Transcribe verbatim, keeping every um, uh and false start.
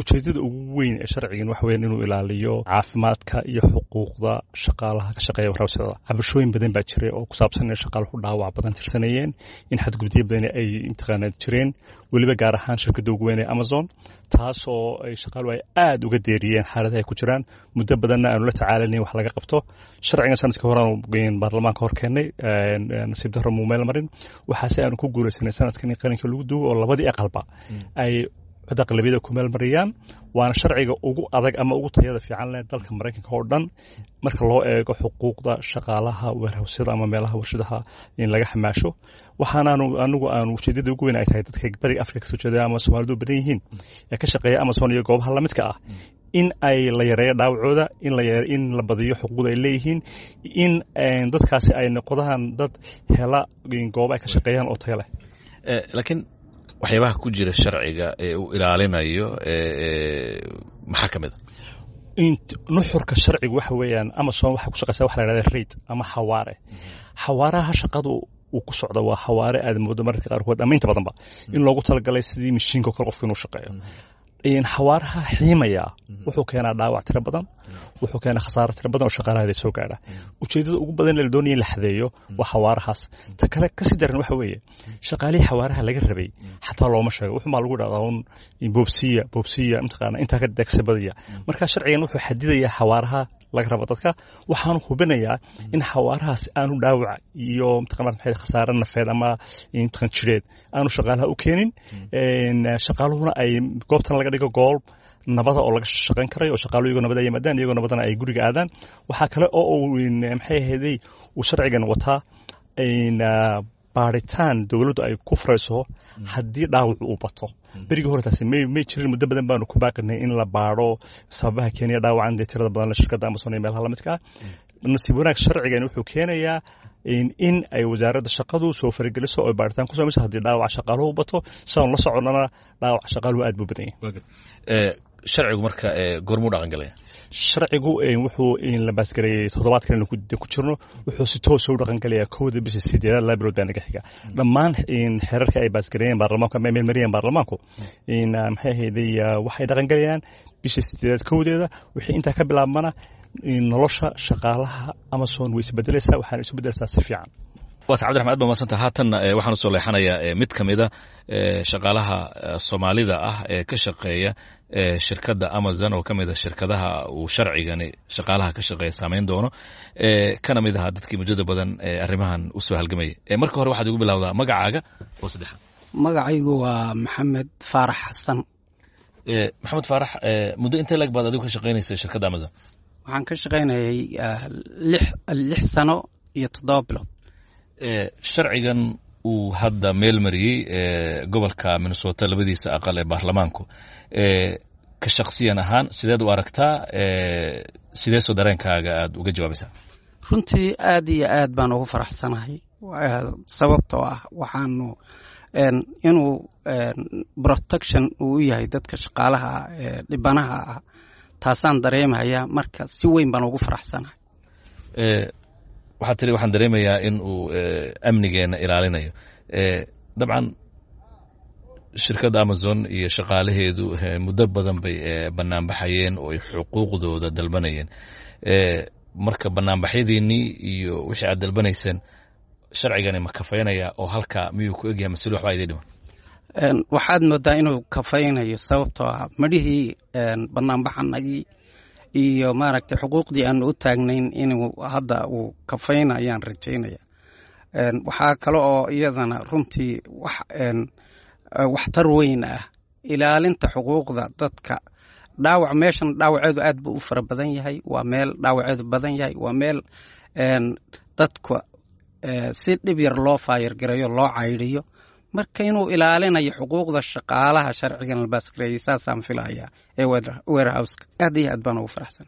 Ujeedada ugu weyn ee sharcigan waxa weyan inuu ilaaliyo caafimaadka iyo xuquuqda shaqaalaha ka shaqeeya warhawsada. Cabashooyin badan baa jiray oo ku saabsan inay shaqaaluhu dhaawac badan tirsanayeen, in xadgudubyo badan ay imtixaanaad jireen, weliba gaar ahaan shirkadda ugu weyn ee Amazon, taasoo ay shaqaaluhu ay aada uga deeriyeen xaaladaha ay ku jiraan. Muddo badanna aanu la tacaalanayn wax laga qabto. Sharcigan sanadkii horeanu baarlamaanka hor keennay, nasiib darro muu meel marin. Waxaase aanu ku guulaysanay sanadkan in qalinka lagu duugo oo labadii aqalba ay aqlabiyada ku meelmariyaan. Waana sharciga ugu adag ama ugu tayada fiican leh dalka Maraykanka oo dhan marka loo eego xuquuqda shaqaalaha weerhawsyada ama meelaha warshadaha in laga xamaasho. Waxaanaanu anigu aanu ujeedada ugu weyn ay tahay dadka Bariga Afrika kasoo jeeda ama Soomaalidu badan yihiin ee ka shaqeeya Amazon iyo goobaha lamidka ah in ay la yareeyo dhaawacooda, in la in la badiyo xuquuqda ay leeyihiin, in dadkaasi ay noqdaan dad hela goobo ay ka shaqeeyaan oo tayo leh. Laakiin waxyaabaha ku jira sharciga ee uu ilaalinayo maxaa ka mid a? Nuxurka sharcigu waxa weeyaan, Amazon waxay ku shaqeysaa waxa la yidhahda rate ama xawaare. Xawaaraha shaqadu uu ku socdo waa xawaare aad moodo mararka qaarkood ama inta badanba in loogu talagalay sidii mashiinka kale qofka inuu shaqeeyo. Xawaaraha xiimaya wuxuu keenaa dhaawac tiro badan, wuxuu keenaa khasaaro tiro badan oo shaqaalaheeda soo gaadha. Ujeedada ugu badan ee la doonaya in la xadeeyo waa xawaarahaas. Ta kale kasii daran waxa weeye, shaqaalihii xawaaraha laga rabay xataa looma sheego. Wuxuunbaa lagu dhahdaa un boobsiya boobsiya, mataqaana, intaa ka degsa badaya. Marka sharcigan wuxuu xadidayaa xawaaraha laga rabo dadka, waxaanu hubinayaa in xawaarahaas aanu dhaawac iyo mataqana maxay khasaare nafeed ama mataqan jireed aanu shaqaalaha u keenin, shaqaaluhuna ay goobtan laga dhigo goob nabada oo laga shaqayn karayo, oo shaqaaluhu iyagoo nabada yimaadaan, iyagoo nabadana ay guriga aadaan. Waxaa kale oo uu maxay ahaydey uu sharcigan wataa baaritaan dowladdu ay ku furayso haddii dhaawacu uu bato. Berigii hore taasi may may jirin. Muddo badan baanu ku baaqinay in la baadho sababaha keenaya dhaawacan dee tirada badan shirkadda Amazon iyo meelaha lamidka ah. Nasiib wanaag, sharcigan wuxuu keenayaa in ay wasaaradda shaqadu soo farageliso oo baaritaan ku samayso haddii dhaawaca shaqaaluhu bato. Sidaan la soconnana, dhaawaca shaqaaluhu aad buu badan yahay. Sharcigu marka goormuu dhaqan galaya? Sharcigu wuxuu la baasgareeyey toddobaadkan aynu ku jirno, wuxuu si toosa u dhaqan galayaa kowda bisha sideedaad. Laba bilood baa naga xiga. Dhammaan xeerarka ay baasgareeyeen baarlamaanku ama ay meelmariyeen baarlamaanku, maxay ahayday, waxay dhaqan galayaan bisha sideedaad kowdeeda. Wixii intaa ka bilaabmana nolosha shaqaalaha Amazon way isbedelaysaa, waxaana isu bedelaysaa si fiican. Waata Cabdiraxman, aad ba madsanta. Haatanna waxaan usoo leexanayaa mid ka mida shaqaalaha Soomaalida ah ee ka shaqeeya shirkadda Amazon, oo ka mid a shirkadaha uu sharcigani shaqaalaha ka shaqeeya saameyn doono, kana mid ahaa dadkii muddada badan ee arrimahan usoo halgamayay. Marka hore waxaad igu bilowdaa magacaaga oo saddexaad. Magacaygu waa Maxamed Faarax Xasan. Maxamed Faarax, muddo intee lag baad adigu ka shaqeynaysa shirkadda Amazon? Waxaan ka shaqaynayay lix lix sano iyo toddoba bilood. Sharcigan uu hadda meel mariyey gobolka Minnesota labadiisa aqal ee baarlamaanku, ka shaksiyan ahaan sideed u aragtaa? Sidee soo dareenkaaga aada uga jawaabaysaa? Runtii aad iyo aad baan ugu faraxsanahay, sababtoo ah waxaanu inuu protection uu u yahay dadka shaqaalaha dhibanaha ah, taasaan dareemayaa. Marka si weyn baan ugu faraxsanahay. Waxaad tiri waxaan dareemayaa in uu amnigeena ilaalinayo. Dabcan shirkadda Amazon iyo shaqaalaheedu muddo badan bay banaanbaxayeen oo ay xuquuqdooda dalbanayeen. Marka banaanbaxyadiinnii iyo wixii aad dalbanayseen sharcigani ma kafaynaya oo halkaa miyuu ku egyahay, masuli waxbaa idin dhiman? Waxaad moodaa inuu kafaynayo, sababtoo ah madhihii banaanbaxanagii iyo maaragtay xuquuqdii aanu u taagnayn inuu hadda uu kafaynayaan rajaynaya. Waxaa kale oo iyadana runtii wax waxtar weyn ah ilaalinta xuquuqda dadka dhaawac. Meeshan dhaawaceedu aad buu u fara badan yahay, waa meel dhaawaceedu badan yahay, waa meel dadka si dhib yar loo faayargareeyo, loo caydhiyo. Marka inuu ilaalinayo xuquuqda shaqaalaha sharcigan la baasgareeyey saasaan filayaa ee warehouseka. Aad iyo aad baan ugu faraxsan.